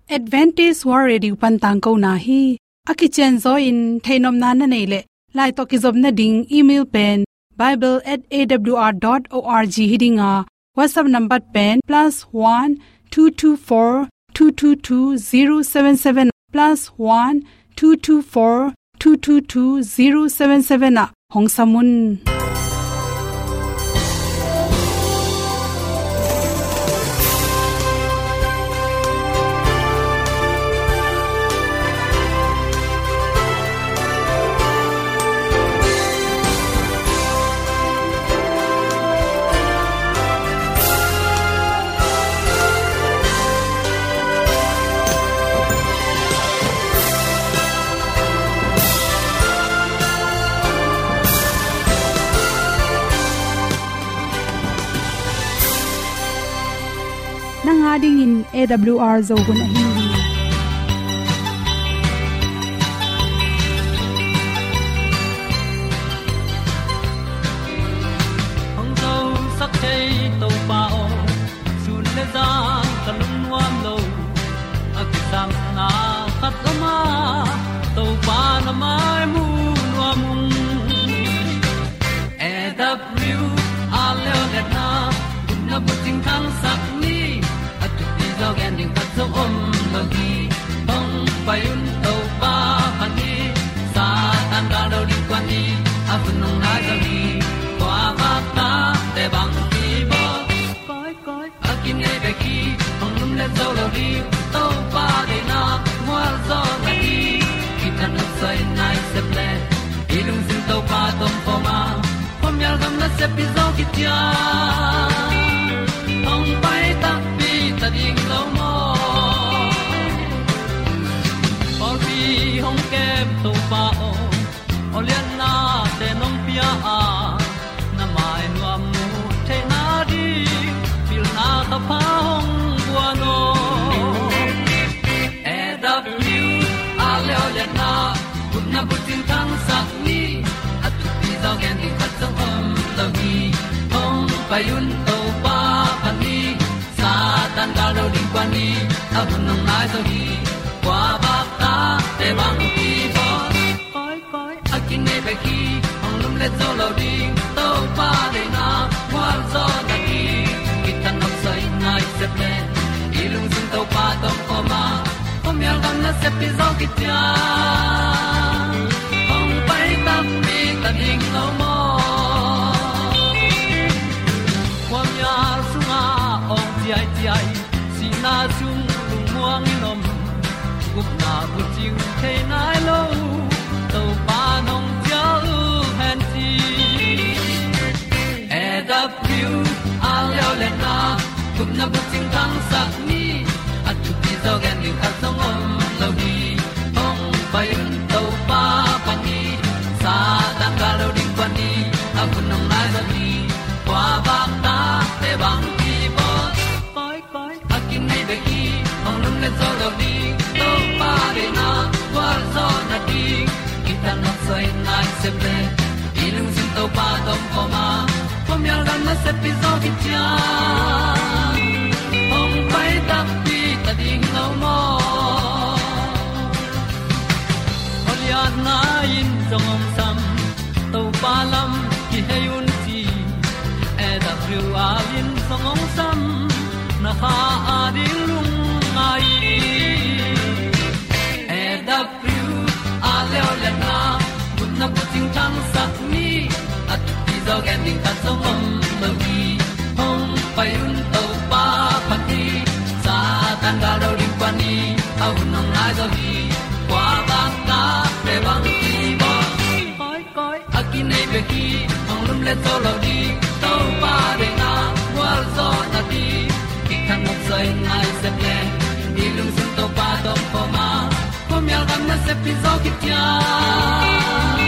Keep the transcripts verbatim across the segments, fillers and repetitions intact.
Adventist World Radio pan tangkona hi. A kicianzaw in theihnopna na neih leh, lai tawh kizopna ding email pen bible at A W R dot org hi ding a, WhatsApp number pen plus one two two four two two two zero seven seven, plus one two two four two two two zero seven seven ah hong sam un. Nang a dingin A W R Zo hun ahi hi. Hong zosak thei Topa aw, sun le zan ka lungnuam lo. A kisapna khat om a, Topa na mai mu nuam ung. A W R Leonetna, gupna bucing thangsak ni, a thupi zaw gen ding khat zong om lo hi. Hong pai un Topa phat ni, Satan gal do ding kuan ni, a hun hong nai zaw hi. Kua vak ta te bang ki bawl. Koi, koi, a kinei bek hi, hong lumlet zo lo ding, Topa deihna mual zaw na hi. Kithat nopsai nai sep le, i lungsim Topa tawh om khawm a, khuamial gam nasep pi zaw kician, hong pai takpi ta ding lo maw. Pawlpi hong kem Topa aw, aw liannate nong pia a, na mai nuam mu theihna ding pilna ka pha hong guan aw. A W R Leonetna, gupna bucing thangsak ni, a thupi zaw gen ding khat zong om lo hi. Hong pai un Topa phat ni, Satan gal do ding kuan ni, a hun hong nai zaw hi. Kua vak ta te bang ki bawl. Koi, koi, a kinei bek hi, hong lumlet zo lo ding, Topa deihna mual zaw na hi. Kithat nopsai nai sep le, i lungsim Topa tawh om khawm a, khuamial gam nasep pi zaw kician, hong pai takpi ta ding lo maw. Khuamial sungah awng ciaiciai, sihna sung lungmuang in om, gupna bucing thei nai lo, Topa nong cial hen ci. A W R Leonetna, gupna bucing thangsak ni, a thupi zaw gen ding khat zong om lo hi. Hong pai un Topa phat ni, Satan gal do ding kuan ni, a hun hong nai zaw hi. Kua vak ta te bang ki bawl. Koi, koi, a kinei bek hi, hong lumlet zo lo ding, Topa deihna mual zaw na ding. Kithat nopsai nai sep le, i lungsim Topa tawh om khawm a, khuamial gam nasep pi zaw kician, hong pai takpi ta ding lo maw. Aw lianna in zong hong sam, Topa lam kihei un ci. A W R in zong hong sam, na kha a ding lungngai. A W R Leonetna, gupna bucing thangsak ni, a thupi zaw gen ding khat zong om lo hi. Hong pai un Topa phat ni, Satan gal do ding kuan ni, a hun hong nai zaw hi. Kua vak ta te bang ki bawl. Koi, koi, a kinei bek hi, hong lumlet zo lo ding, Topa deihna mual zaw na ding. Kithat nopsai nai sep le, i lungsim Topa tawh om khawm a, khuamial gam nasep pi zaw kician,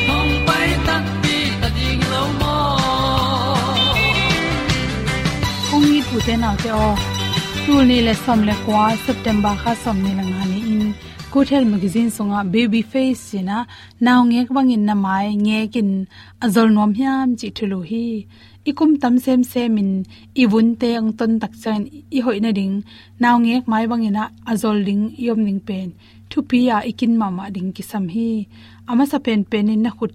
hong pai takpi ta ding lo maw. Kong it u te nau te aw, tul nih le sawm le kua, September kha sawmnih le nga ni-in Good Health Magazine sungah Baby Face cih na, naungek bangin na mai ngekin a zol nuam hiam cih thulu hi. i kum tam semsem in i vunte hong ton tak ciangin i hoih nading, naungek mai bangin ah a zol ding i om ding pen thupi a i kin mahmah ding kisam hi. A masa penpen in na khut,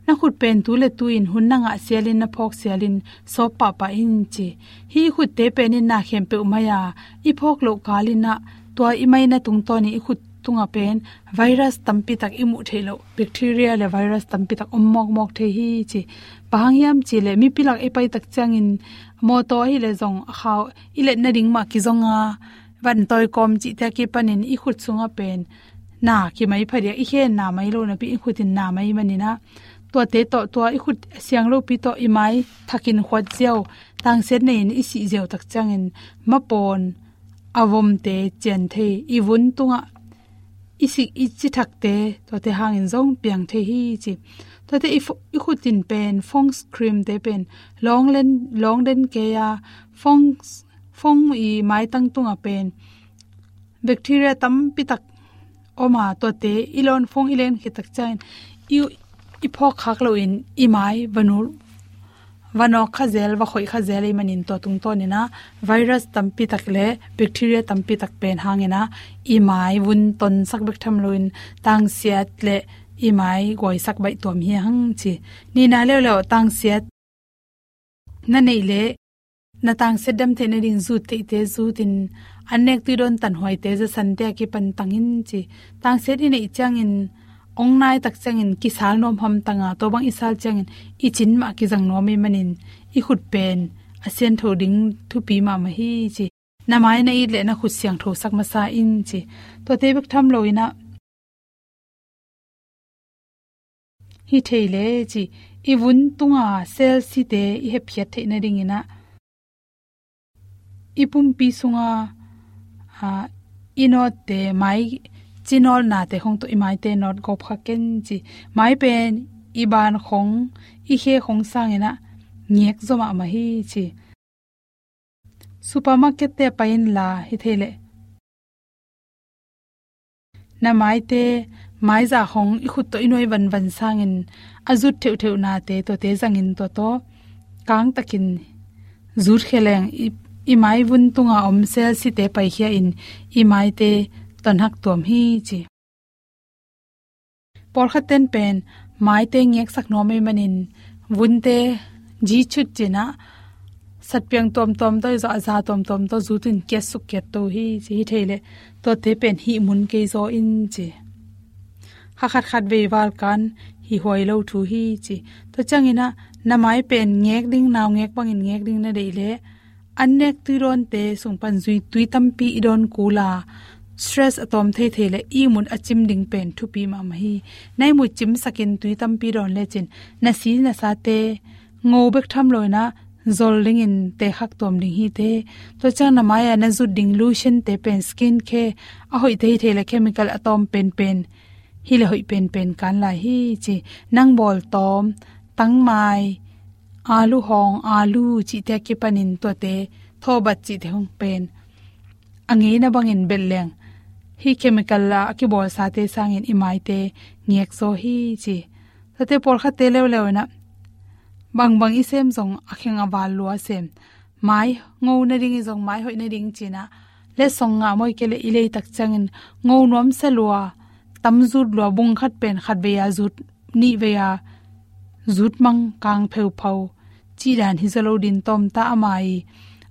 na khut pen tu le tu in hun na ngah sialin, na phawk sialin sawp pahpah in ci. Hih i khutte pen in na khempeuh mai a i phawk loh kalin ah tua i maina tungtawnin i khut tungah pen virus tampi tak i muh theih loh, bacteria le virus tampi tak om mawkmawk thei hi ci. Bang hang hiam cih leh mipi lak i pai tak ciangin mawtaw ahih leh zong a khau i let nading mah kizong a, van tawi kawm cihte a kipanin i khut sungah pen na kimai phadiak, i khe na mai lo napi i khut in na mai manin ah, tuate tawh tua i khut a siang lopi tawh i mai thakin khuat ziau, tangsiat nei in i sih ziau tak ciangin mapawn a vomte cian thei, i vun tungah i sik i cithakte tuate hangin zong piang thei hi ci. Tuate i fo-, i khut in pen fong cream te pen lawng len, lawng den kei a, fong, fong i maitang tungah pen bacteria tampi tak om a, tuate i lawn fong i len khit tak ciangin i, i phawk khak loin i mai va nu, va nawk kha zel, va khoih kha zel ahih manin tua tungtawnin ah virus tampi tak le bacteria tampi tak pen hangin ah i mai vun tonsak bek tham loin tangsiat le i mai guaisak baih tuam hi hang ci. Nihna leuleu tangsiat na neih leh na tangsiat dam theih nading zut theihte zut in, an nek tui dawn tanhuaite zasante a kipan tang in ci. Tangsiat i neih ciangin ong nai tak ciangin kisal nuam hamtang a, tua bang i sal ciangin i cin mah kizang nuam ahih manin i khut pen a siangtho ding thupi mahmah hi ci. Na mai na it leh na khut siangthosak masa in ci. Tuate bek tham loin ah hi thei leh ci, i vun tunga cell site i hepkhiat theih nadingin ah i pumpi sunga, a, i nawtte, mai ci nawlnate khong tawh i maite nawt gawp kha ken ci. Mai pen i ban khong, i khe khong sangin ah ngek zaw mahmah hi ci. Supermarket te pai inla hi thei leh na maite, maizah khong i khut tawh i nuai vanvan sangin a zut theuhtheuhnate tuate zangin tua tawh kangtakin zut khia leng i, i mai vun tunga om cell site paikhia in i maite tonhak tuam hi ci. Pawlkhat ten pen maite ngeksak nuam ahih manin vunte zi chut cin ah satpiang tuamtuam tawh i zawh a, za tuamtuam tawh zut in kiatsuk kiatto hi ci. Hi thei leh tuate pen hih mun kei zaw in ci. Kha khat khat vei val kan hih huai lo thu hi ci. Tua ciangin ah na mai pen ngek ding, naungek bangin ngek ding na deih leh an nek tui dawnte sung pan zui tui tampi i dawn kul a, stress a tawm thei thei leh i mut a cim ding pen thupi mahmah hi. Na i mut cimsakin tui tampi dawn lecin na si na sate ngo bek tham loin ah zol dingin tekhak tuam ding hi te. Tua ciang na mai-ah na zut ding lotion te pen, skin care a hoihte hi thei leh chemical a tawm penpen hi leh hoih penpen kan lai hi ci. Nang bawltawm, tangmai, alu hong, alu cihte a kipanin tuate, thawbat cihte hong pen a ngeina bangin belh leng hih chemical a a kibawlsate sangin i maite ngek zaw hi ci. Tuate pawlkhatte leuleu in ah bangbang i sem zong a kheng a val lua sem. Mai ngo nading i zong, mai hoih nading cin ah letsong ngah mawi kei leh i lei tak ciangin ngo nuamsa lua, tam zut lua, bung khat pen khat vei a zut, nih vei a zut mang, kang pheuphau cih dan hi zaw lo ding, tawmta a mai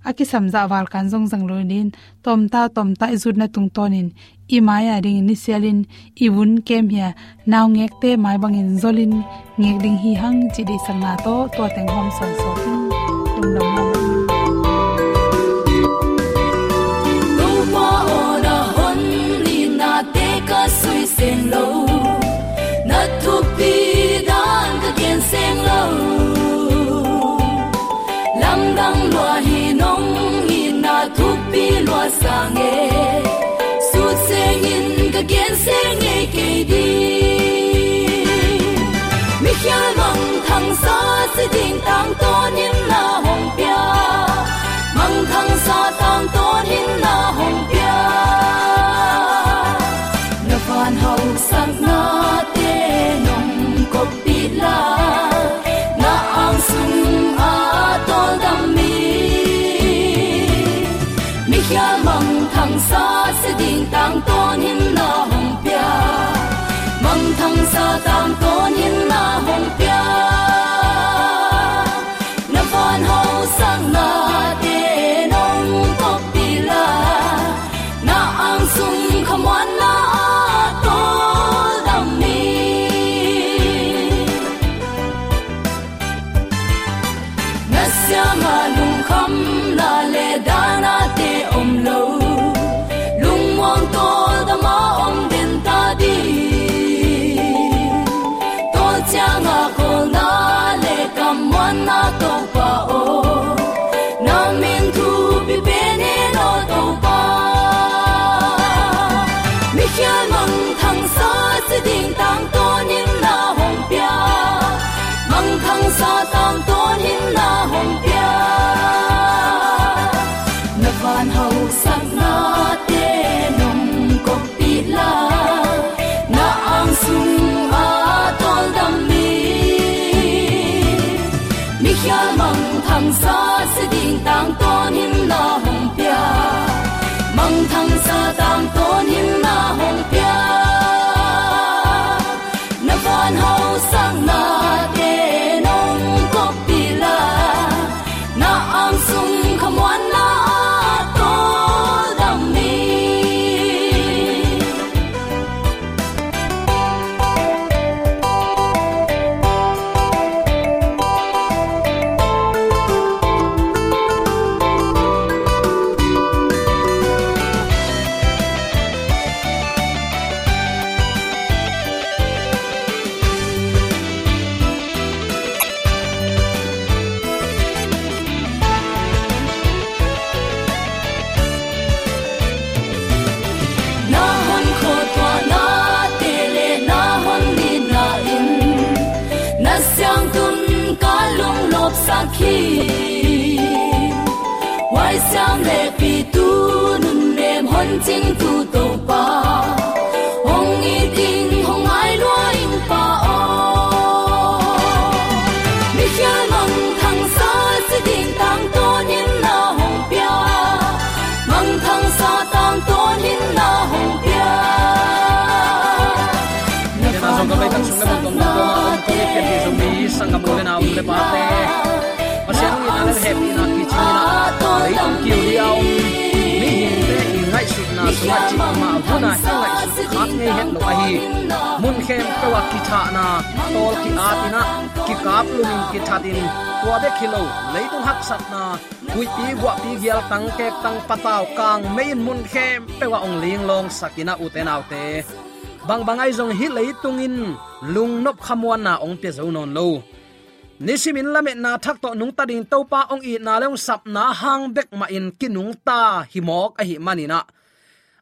a kisam zah val kan zong zang lo ding, tawmta tawmta i zutna tungtawnin i mai-a dingin i sialin i vun kem hi a, naungekte mai bangin zolin ngek ding hi hang cih deihsakna tawh tua teng hawm sawnsawn in lungdam mahmah. Topa aw, na hon nihnate ka sui seng lo, na thupi dan ka gen seng lo. Lamdang lua hi nong itna thupi lua sang e, sut sengin ka gen seng ngei kei ding. Mikhial mangthangsa si ding tangtawnin na hong pia, mangthangsa tangtawnin na hong pia. Na van hausaknate nong koppih la, na ang sung a tangtawn himna hong pia. Mangthangsa tangtawn himna hong pia. Na van hausaknate nong koppih la. Na angsung khamuanna a tawldam mi. Na siangah lungkhamna le dahnate om lo. Lungmuang tawldam a om den ta ding. Tawl ciangah khawlna le kammuanna Topa aw. Na min thupi pen hi lo Topa. Mikhial mangthangsa ci ding tangtawn himna hong pia. Mangthangsa tangtawn himna hong pia. Na van hausaknate nong koppih la. Na angsung a tawldam mi. Mikhial mangthangsa ci ding tangtawn himna hong pia. Mangthangsa tangtawn himna hong pia. Na van hausaknate nong koppih la. Na angsung khamuanna a tawldam mi. Na hon khuatuahnate le na hon nitna in na siangtun ka lunglawpsak hi. Huaisiam le pitu nunnem hon cingtu Topa, hong it ing hong ngai lua ing Pa aw. Mikhial mangthangsa ci ding tangtawn himna hong pia. Mangthangsa tangtawn himna hong pia. Na van hausaknate nong koppih la. Pasian hong itna le hehpihna kicing in ah, leitung kiu dia om mihingte i ngaihsutna sungah cih mah vun ah i ngaihsut khat ngei het lo ahi. Mun khempeuh ah kithahna, tawl ki-at in ah, kikap lum in kithat in, tua bek hi lo, leitung haksatna, huihpi guahpi gialtang kektang patau kang mei in mun khempeuh ah hong linglawngsak in ah, ute naute, bangbang ahi zong hih leitung in lungnop khamuanna hong pia zo nawn lo. Nisimin lametna thak tawh nungta ding Topa hong itna le hong sapna hang bek mahin kinungta hi mawk ahih manin ah,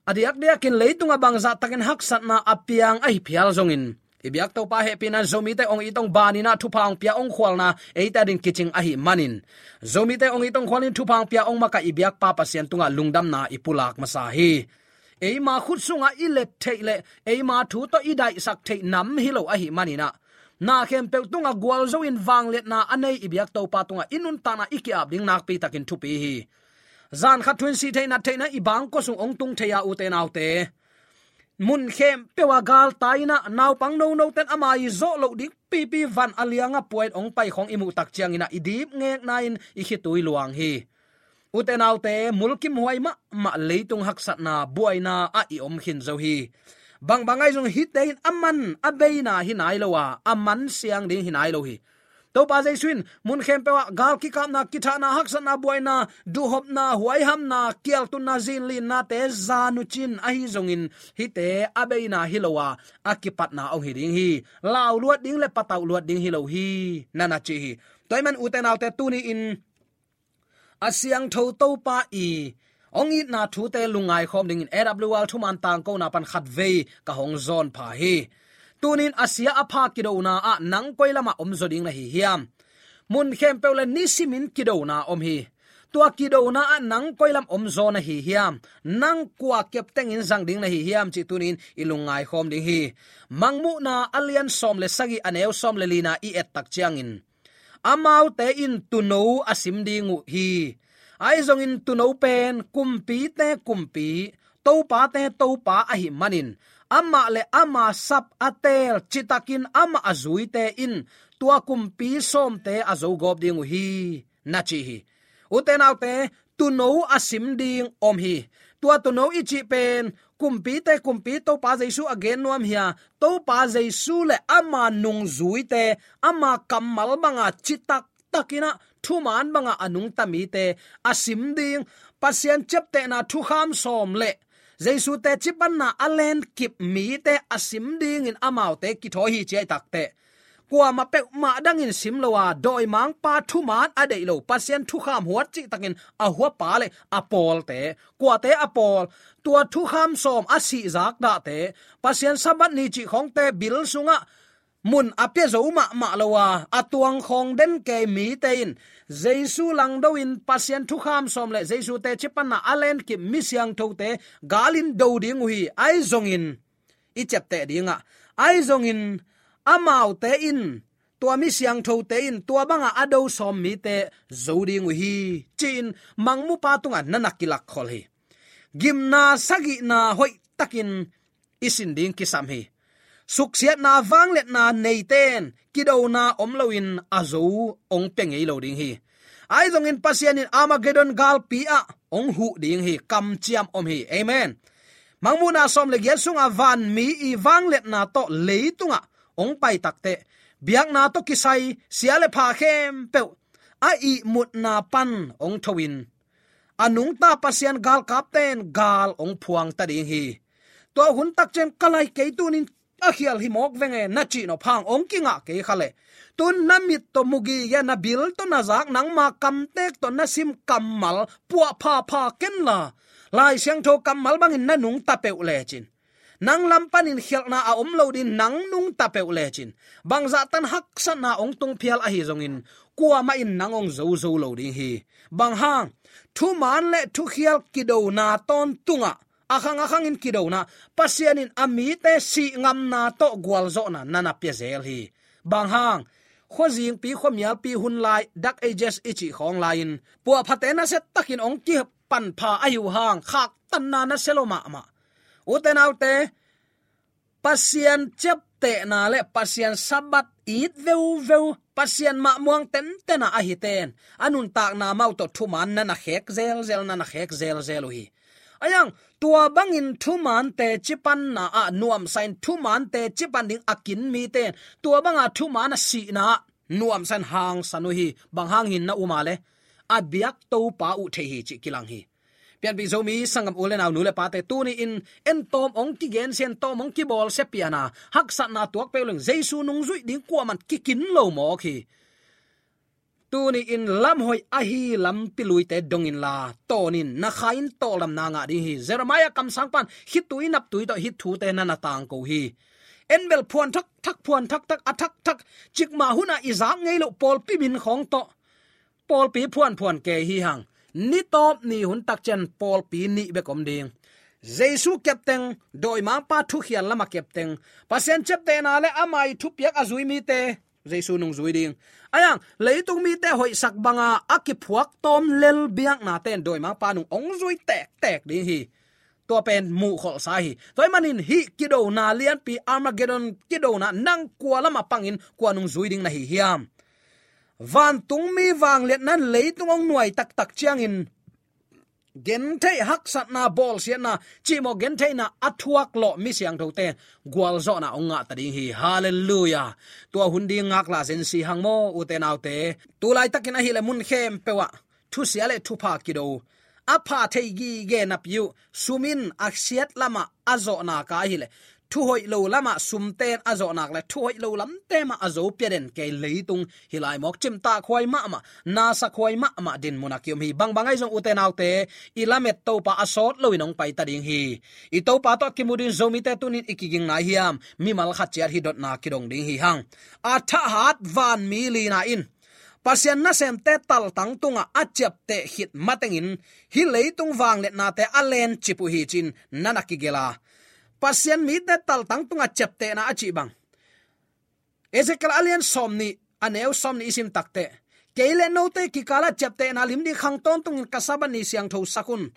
a diakdiakin leitungah bangzah takin haksatna a piang ahi phial zongin, i biak Topa hehpihna Zomite hong it hong ban in ah thupha hong pia hong khualna eite ading kicing ahih manin, Zomite hong it hong khual in thupha hong pia hong makaih i biakpa Pasian tungah lungdamna i pulak masa hi. Eima khut sungah i let theih le eima thu tawh i daihsak theih nam hi lo ahih manin ah, na khempeuh tungah gualzo in vangliatna a nei i biak Topa tungah i nuntakna i ki-ap ding nakpi takin thupi hi. Zan khat thu in sih theih nat theihna i bangkua sung hong tung thei a, ute naute, mun khempeuh ah galtai in ah, naupang nonote'n ama i zawh loh ding pipi van a liangah puai hong pai khawng i muh tak ciangin ah, i dipngekna in i khitui luang hi. Ute naute, mulkimhuai mahmah leitung haksatna buaina ah i om khin zo hi. Bangbang ahi zong hihte in a man a beina hi nai lo a, a man siang ding hi nai lo hi. Topa Jesu in mun khempeuh ah gal kikapna, kithahna, haksatna, buaina, duhhopna, huaihamna, kialtunna, zinlinnate zan uh cin ahi zongin hihte a beina hi lo a, a kipatna hong hi ding hi. Lauluat ding le patauh luat ding hi lo hi, na na ci hi. Tua ahih man ute naute, tuni in a siangtho Topa i hong itna thute lungngai khawm dingin A W R thuman tangkona pan khatvei ka hong zawn pha hi. Tunin a sia a pha kidona ah nang koi lamah om zaw ding na hi hiam? Mun khempeuh le nisimin kidona om hi. Tua kidona ah nang koi lam om zaw na hi hiam? Nang kua keptengin zang ding na hi hiam cih tunin i lungngai khawm ding hi. Mangmuhna a lian sawm le sagih, a neu sawm le lina i et tak ciangin, amaute in tuuno a sim ding uh hi. Ahi zongin tuuno pen kumpite kumpi, topate Topa ahih manin, amah le ama sap a teel citakin amah a zuite in tua kumpi sawmte a zogawp ding uh hi, na ci hi. Ute naute, tuuno a sim ding om hi. Tua tuuno i cih pen kumpite kumpi Topa Jesu a gen nuam hi a, Topa Jesu le ama nungzuite, ama kammal banga citak takin ah thuman banga a nungta mite a sim ding, Pasian ciaptehna thukham sawm le Jesu teci panna a lenkip mite a sim dingin amaute kithawi hi ci ahih takteh, kuamah peuhmah dangin sim lo a, dawimangpa thuman a deih lo, Pasian thukham huat cihtakin a huapa le a pawlte, kuate a pawl, tua thukham sawm a sihzak dahte, Pasian Sabbath ni cih khawngte bil sungah mun a pia zo mahmah lo a, a tuang khawng den kei mite in Jesu langdo in Pasian thukham sawm le Jesu teci panna a lenkip mi siangthote galin do ding uh hi. Ahi zongin i ciapteh dingah, ahi zongin amaute in, tua mi siangthote in tua banga a do sawm mite zo ding uh hi, ci-in mangmupa tungah na na kilakkhol hi. Gimna sagihna hoihtakin i sin ding kisam hi. Suksiatna vangliatna neite in kidona om loin a zo hong pia ngei lo ding hi. Ahi zongin Pasian in Armageddon galpi ah hong huh ding hi. Kamciam om hi. Amen. Mangmuhna sawm le giat sunga vanmi i vangliatna tawh leitungah hong pai takteh, biakna tawh kisai sia le pha khempeuh a ihmutna pan hong thoin, a nungta Pasian galkapte in gal hong phuang ta ding hi. Tua hun takciang ka lai kei tunin a khial hi mawk veng e na cih nop hang hong kingah kei kha leh, tun na mit tawh mu gige, na bil tawh na zak, nangma kamtek tawh na sim kammal puah phapha kenla, Lai Siangtho kammal bangin na nungta peuh lecin, nang lam panin khialhna a om lo ding, nang nungta peuh lecin, bangzah tan haksatna hong tung phial ahi zongin, kuamah in nang hong zozo lo ding hi. Bang hang? Thuman le thukhial kidona tawntungah, a khang a khangin kidona, Pasian in a mite sih ngamna tawh gualzawhna na na pia zel hi. Bang hang? Khuazingpi, khuamialpi hun lai, Dark Ages i cih khawng lai-in, puahphate nasia takin hong kipan pha ahi uh hang, khaktanna nasia lo mahmah. Ute naute, Pasian ciaptehna le Pasian Sabbath it veuveu, Pasian mah muang tentena ahi ten, a nuntakna mah uh tawh thuman na na khek zelzel, na na khek zelzel uh hi. Ahi hang, tua bangin thuman teci panna ah nuamsa in, thuman teci pan ding a kin mite in tua banga thuman a sihna ah nuamsa in hangsan uh hi. Bang hangin na um a le, a biak Topa uh thei hi cih kilang hi. Pianpih Zomi sanggam u le nau, nu le pate, tuni-in en tawm hong kigensia, en tawm hong kibawlsia piana, haksatna tuak peuh leng Jesu nungzuih ding kuaman kikin lo mawk hi. Tuni-in lamhoih ahi lampi luite dong inla, tawnin na kha in tawldamna ngah ding hi. Jeremiah kamsangpa'n khitui naptui tawh hih thute na na tangko hi. En bel phuan thakthak, phuan thakthak, a thakthak, cikmah hunah i zak ngei loh pawlpi min khawng tawh pawlpi phuanphuan kei hi hang. Ni tawp ni hun takciang pawlpi nih bek om ding. Jesu kepteng, dawimangpa thukhial lamah kepteng, Pasian ciaptehna le ama i thupiak a zui mite, Jesu nungzui ding. Ahi hang, leitung mite hoihsak banga a kiphuak tawm lel biaknate in dawimangpa nung hong zui tektek ding hi. Tua pen muhkholhsa hi. Tua ahih manin hih kidona lianpi, Armageddon kidona, nang kua lamah pangin kua nungzui ding na hi hiam? Vantungmi vangliatna in leitung hong nuai taktak ciangin, gentheih, haksatna, bawlsiatna, cihmawh gentheihna a thuak lawh mi siangthote gualzawhna hong ngah ta ding hi. Halleluiah. Tua hun ding ngaklah zen si hang maw, ute naute. Tulaitakin ahih leh mun khempeuh ah thusia le thupha kido, a pha thei gige napi uh, sum in a siat lamah a zawhnak a ahih leh, thuhoih lo lamah sumte in a zawhnak le thuhoih lo lamte mah a zo pia den kei leitung hi lai mawk. Cimtakhuai mahmah, nasakhuai mahmah dinmun a kiom hi. Bangbang ahi zong, ute naute, i lamet Topa a sawt loin hong pai ta ding hi. I Topa tawh a kimu ding Zomite tunin i kiging nai hiam? Mimal khat ciat hih dotna kidong ding hi hang. A thahat vanmi lina in Pasian nasemte taltang tungah a ciapteh khit matengin hih leitung vangliatnate a lencip uh hi ci-in na na kigelh a, Pasian mite taltang tungah ciaptehna a cih bang, Ezekiel a lian sawmnih, a neu sawmnih i sim takteh, kei le note kikalah ciaptehna lim ding khang tawntungin ka Sabbath ni siangthosak un.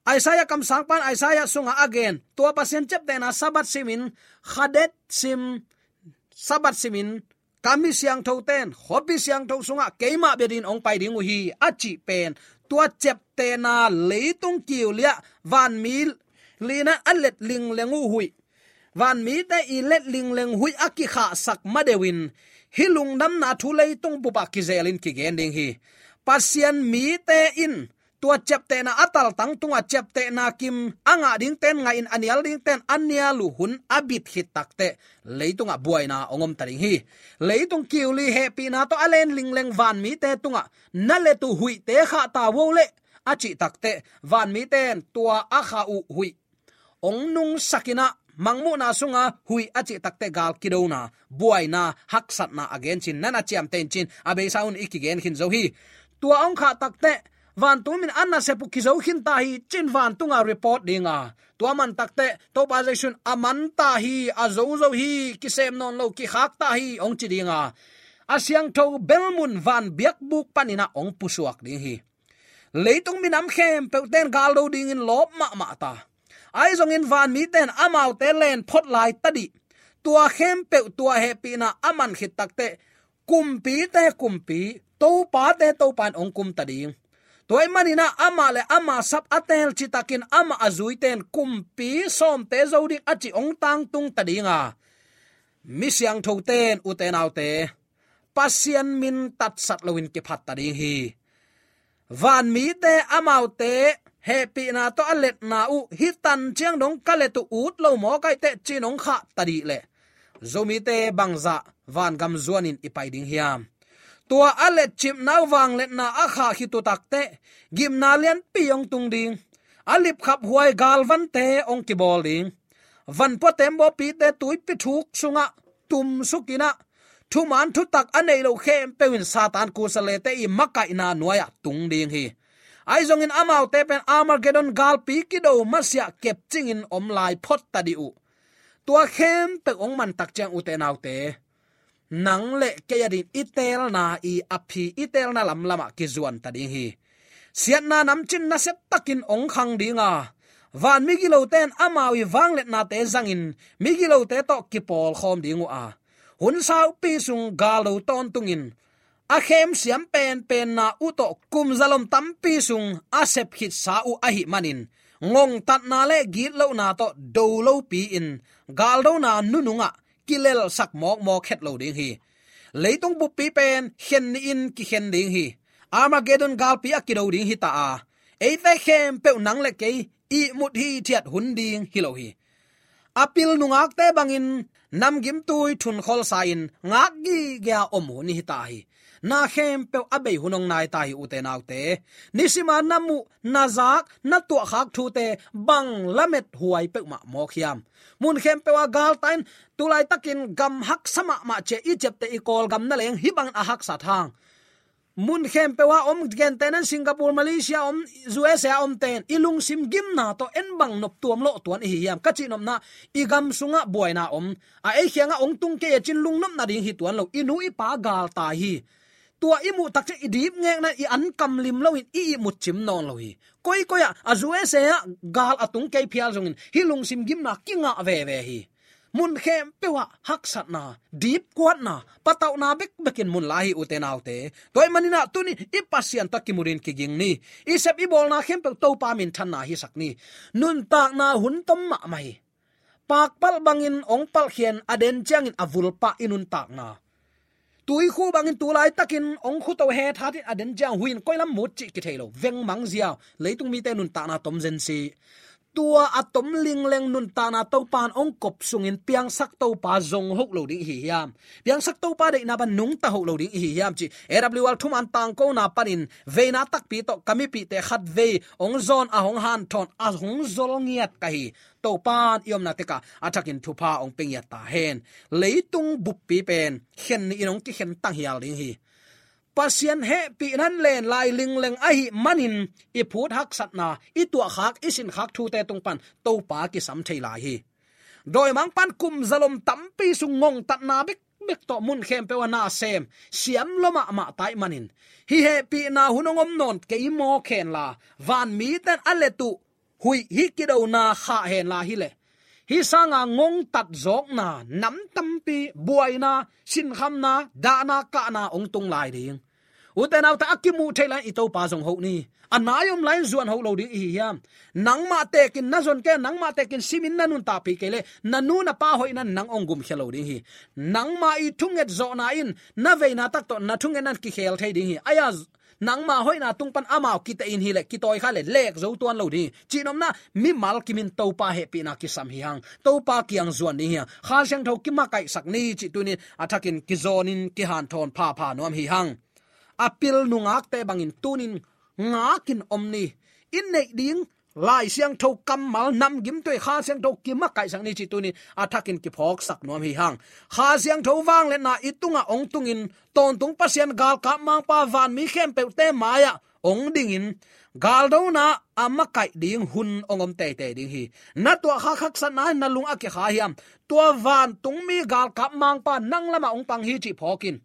Isaiah kamsangpan Isaiah sungah a gen, tua Pasian ciaptehna Sabbath simin, Khadesh sim, Sabbath simin, ka mi siangthote'n khuapi siangtho sungah keima bia dingin hong pai ding uh hi, a cih pen, tua ciaptehna leitung kiu li-ah vanmi li-in a let lingleng uh huih, vanmite i let lingleng huih a kikhahsak madeuh in, hih lungdamna thu leitung bupah kizelin kigen ding hi. Pasian mite in tua ciaptehna a taltang tungah ciaptehna kim a ngah dingte'n ngah in, a nial dingte'n a nial uh hun a bit khit takteh leitungah buaina hong om ta ding hi. Leitung kiu li hehpihna tawh a let lingleng vanmite tungah na let uh huihte khah ta vo leh, a cih takteh vanmite'n tua a khah uh huih hong nungsak in ah, mangmuhna sunga huih a cih takteh gal kidona, buaina, haksatna a gen cin, na na ciamteh in cin, a beisa un i kigen khin zo hi. Tua hong khah takteh vantung min a nasep uh kizo khin ta hi cin vantunga report dinga, tua man takteh Topa Jesu in a man ta hi, a zo zo hi, kisem nawn lo, kikhak ta hi hong ci dinga, a siangtho belmun van biakbuk panin ah hong pusuak ding hi. Leitung minam khempeuhte'n galdo dingin lawp mahmah ta. Ahi zongin vanmite'n amaute len phot lai tadih, tua khempeuh tua hehpihna a man khit takteh kumpite kumpi, topate Topa in hong kum ta ding. Tua ahih manin ah amah le ama sap a teel citakin amah a zuite'n kumpi sawmte zo ding a cih hong tangtung ta dinga, mi siangthote'n, ute naute, Pasian min tatsat loin kiphat ta ding hi. Vanmite amaute hehpihna tawh a letna uh hih tan ciang dong ka let uh ut lo mawk ahih teh cin hong khah tadih leh, Zomite bangzah vangam zuanin i pai ding hiam? Tua a letcipna uh vangliatna a khah khit uh takteh gimna lianpi hong tung ding, a lipkhaphuai galvante hong kibawl ding, vanpua tembawpite tuipi thuk sungah tumsuk in ah, thuman thutak a neih loh khempeuh in Satan kusalete i makaihna nuai-ah tung ding hi. Ahi zongin amaute pen Armageddon galpi kido masiah kepcingin om lai phot tadih uh. Tua khempeuh hong man tak ciang, ute naute, nang le kei a dingin i teelna i a phi, i teelna lamlamah kizuan ta ding hi. Siatna namcin nasiatakin hong khang dinga, van migilote'n amau i vangliatnate zangin migilote tawh kipawlkhawm ding uh a, hun saupi sung galdo tawntungin a khemsiam penpenna uh tawh kum zalom tampi sung a sepkhitsa uh ahih manin, ngongtatna le gitlohna tawh do lopi-in galdona nunungah kilelsak mawkmawk het lo ding hi. Leitung buppi pen khen nihin kikhen ding hi. Armageddon galpi a kido ding hi ta a, eite khempeuh nang le kei ihmut hithiat hun ding hi lo hi. A pil nungakte bangin namgimtui thunkholsa-in ngak gige-a om hun hi ta hi. Na khempeuh a bei hun hong nai ta hi, ute naute. Nisima na muh, na zak, na tuahkhak thute bang lamet huai peuhmah mawk hiam? Mun khempeuh ah galtai-in, tulaitakin gam haksa mahmah ciah i ciapteh i Kawlgam na leng hih bangin a haksat hang. Mun khempeuh ah om, gentehna-in Singapore, Malaysia om, U S A omte'n i lungsim gimna tawh en bang nop tuam lawh tuan i hi hiam? Ka cihnopna, i gam sungah buaina om, a ei kiangah hong tung kei a cin lungnopna ding hi tuan lo, i nu i pa galtai hi. Tua i muh tak ciang i dip ngekna-in i an kam lim loin i ihmut cim nawn lo hi. Koikoi ah a U S A ah gal a tung kei phial zongin hih lungsim gimna kingah veve hi. Mun khempeuh ah haksatna, dipkuatna, patauhna bekbekin mun lai hi, ute naute. Tua ahih manin ah tuni i Pasian tawh kimutin kiging ni. I sep i bawlna khempeuh Topa minthanna hisak ni. Nuntakna hun tom mahmah hi. Pakpalh bangin hong palhkhia'n a den ciangin a vulpah i nuntakna. Tuikhu bangin tulaitakin hong khuto hethatin a den ciang huih in koi lam mut cih kithei lo. Vengmang ziau, leitung mite nuntakna tom zen si. Tua a tom lingleng nuntakna Topa'n hong kop sungin piangsak Topa zong hoh lo ding i hi hiam? Piangsak Topa deihna pan nungta hoh lo ding i hi hiam cih A W R thuman tangkona panin veina takpi tawh ka mipihte khatvei hong zawn a, hong hanthawn a, hong zol ngiat ka hi. Topa'n i omna tekah a thakin thupha hong pia ngiat ta hen. Leitung buppi pen khen nihin hong kikhen tanghial ding hi. Pasian hehpihna in len lai lingleng ahih manin i phut haksatna, i tuahkhak, i sinkhak thute tung pan Topa kisam thei lai hi. Dawimangpa'n kum zalom tampi sung ngongtatna bekbek tawh mun khempeuh ah na sem, siam lua mahmah ta ahih manin, hih hehpihna hun hong om nawn kei mawk hen la, vanmite'n a let uh huih hih kidona khah henla hileh, hih sanga ngongtat zawkna, nam tampi buaina, sinkhamna, dahna, kahna hong tung lai ding. Ute naute, a kimuh theih lai-in i Topa zong hoh ni. A nai om lai-in zuan hoh lo ding i hi hiam? Nangmah tekin na zon kei, nangmah tekin simin na nuntakpih kei leh, na nu na pa hoihna in nang hong gumkhia lo ding hi. Nangmah i thunget zawhna in na veina tak tawh na thungetna in kikhel thei ding hi. Ahi a, nangmah hoihna tung pan amau kiteh in hileh, kitawi kha leh, lek zo tuan lo ding hi. Cihnopna, mimal kimin Topa hehpihna kisam hi hang. Topa kiang zuan ding hi hang. Kha Siangtho kimakaihsak ni cih tuni-in a thakin kizawnin kihanthawn phapha nuam hi hang. A pil nungakte bangin tuni-in ngakin om ni. I neih ding Lai Siangtho kammal namgimtui Kha Siangtho kimakaihsak ni cih tuni-in a thakin kiphawksak nuam hi hang. Kha Siangtho vangliatna i tungah hong tungin, tawntung Pasian galkap mangpa vanmi khempeuhte mai-ah hong dingin, galdona a makaih ding hun hong om teitei ding hi. Na tuahkhak haksatna in na lung a kikha hiam? Tua vantungmi galkap mangpa nang lamah hong pang hi cih phawk in.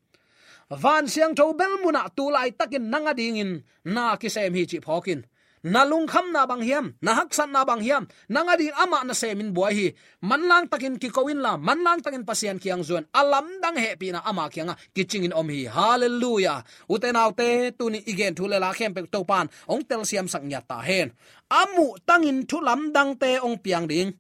Van Siangtho bel munah tu laitakin nang adingin na kisem hi cih phawk in. Na lungkhamna bang hiam, na haksatna bang hiam, nang adingin amah nasemin buai hi. Manlang takin kiko inla, manlang takin Pasian kiang zuan, a lamdang hehpihna ama kiangah kicingin om hi. Halleluiah. Ute naute, tuni i gen thu le la khempeuh Topa in hong telsiamsak ngiat ta hen. A muhtangin thu lamdangte hong piang ding.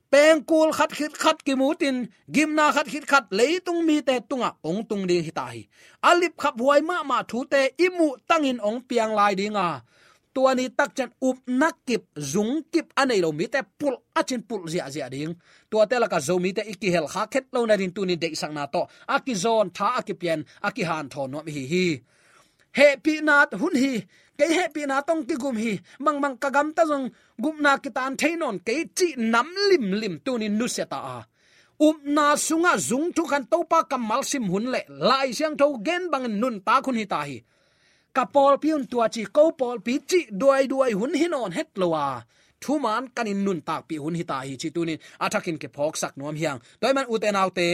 Pengkul khat khit khat kimutin, gimna khat khit khat leitung mite tungah hong tung ding hi ta hi. A lipkhaphuai mahmah thute i muhtangin hong piang lai ding a, tua ni takciang upna kip, zung kip a nei lo mite pulh a cin pulh ziahziah ding. Tuate lakah Zomite i kihelkha khet lo nading tuni deihsakna tawh a kizawn, tha a kipia-in a kihanthawn nuam i hi hi. Hehpihna hun hi, kei hehpihna tawh kigum hi, bangmah ka gamta zong gupna kitan thei nawn kei cih nam limlim tuni nusia ta a, upna sungah zung thukhan Topa kammal sim hun le Lai Siangtho gen bangin nuntak hun hi ta hi. Ka pawlpi hun tua ci, ko pawlpi cih duaiduai hun hi nawn het lo a, thuman kanin nuntakpih hun hi ta hi cih tuni-in a thakin kiphawksak nuam hi hang. Tua ahih manin ute naute,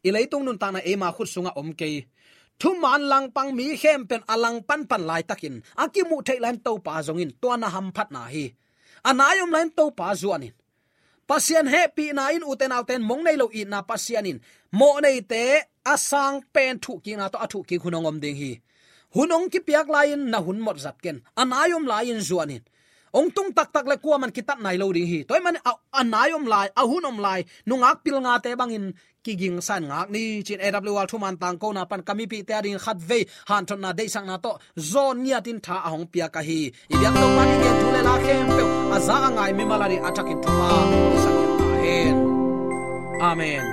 i leitung nuntakna eima khut sungah om kei. Thuman langpang mi khempeuh in a langpang pan laitakin a kimuh theih lai-in Topa zongin tua na hamphatna hi. A nai om lai-in Topa zuanin. Pasian hehpihna in ute naute in mong nei lo itna Pasian in mawhneite a sang pen thuhkikna tawh a thuhkik hun hong om ding hi. Hun hong kipiak lai-in na hun mawh zat ken. A nai om lai-in zuanin. Hong tung taktak le kuaman kitat nai lo ding hi. Tua ahih manin a, a nai om lai, a hun om lai, nungak pilngate bangin kigingsa-in ngak ni ci-in A W R thuman tangkona pan ka mipihte adingin khatvei hanthotna deihsakna tawh zawn ngiatin tha a hong piak ahi. I biak Topa in i gen thu le la khempeuh a za a ngai mimal adingin a thakin thupha hong pisak ngiat ta hen. Amen.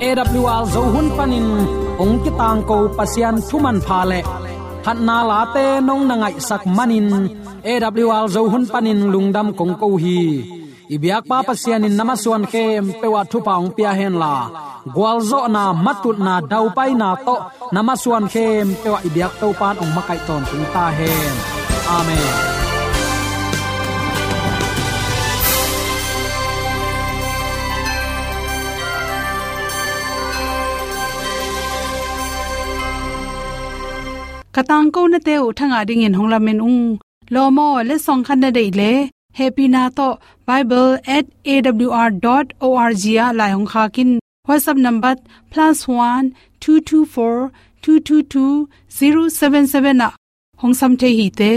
A W R Zo hun panin hong kitangko Pasian thu manpha le phatna late nong na ngaihsak manin A W R Zo hun panin lungdam kong ko hi. I biakpa Pasian in na masuan khempeuh ah thupha hong pia henla, gualzawhna, matutna, daupaina tawh na masuan khempeuh ah i biak Topa in hong makaih tawntung ta hen. Amen. Ka tangkonate uh thangah dingin hong lamen ung. Lawm aw, letsong khat na deih leh, hehpihna tawh bible at A W R dot O R G ah lai hong khak in. WhatsApp number plus one two two four two two two zero seven seven ah hong sam thei hi te.